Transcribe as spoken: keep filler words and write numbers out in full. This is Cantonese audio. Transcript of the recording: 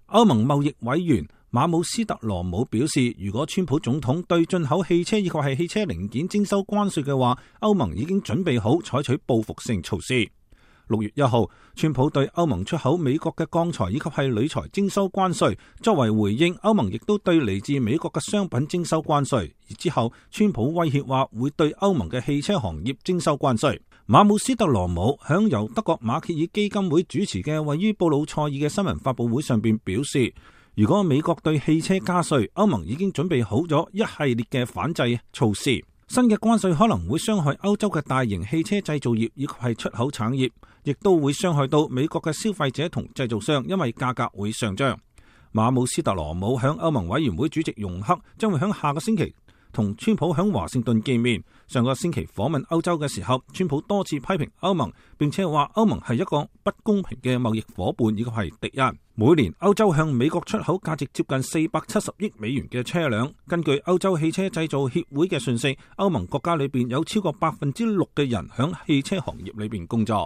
歐盟貿易委員馬姆斯特羅姆表示，如果川普總統對進口汽車以及係汽車零件徵收關稅嘅話，歐盟已經準備好採取報復性措施。六月一號，川普對歐盟出口美國嘅鋼材以及係鋁材徵收關稅，作為回應，歐盟亦都對嚟自美國嘅商品徵收關稅。而之後，川普威脅話會對歐盟嘅汽車行業徵收關稅。馬姆斯特羅姆響由德國馬歇爾基金會主持嘅位於布魯塞爾嘅新聞發佈會上邊表示，如果美國對汽車加稅，歐盟已經準備好咗一系列嘅反制措施。新嘅關稅可能會傷害歐洲嘅大型汽車製造業以及係出口產業，亦都會傷害到美國嘅消費者同製造商，因為價格會上漲。馬姆斯特羅姆響歐盟委員會主席容克將會響下個星期同川普響華盛頓見面。上個星期訪問歐洲嘅時候，川普多次批評歐盟，並且話歐盟係一個不公平嘅貿易夥伴以及係敵人。每年歐洲向美國出口價值接近四百七十億美元嘅車輛。根據歐洲汽車製造協會嘅訊息，歐盟國家裏邊有超過百分之六嘅人響汽車行業裏邊工作。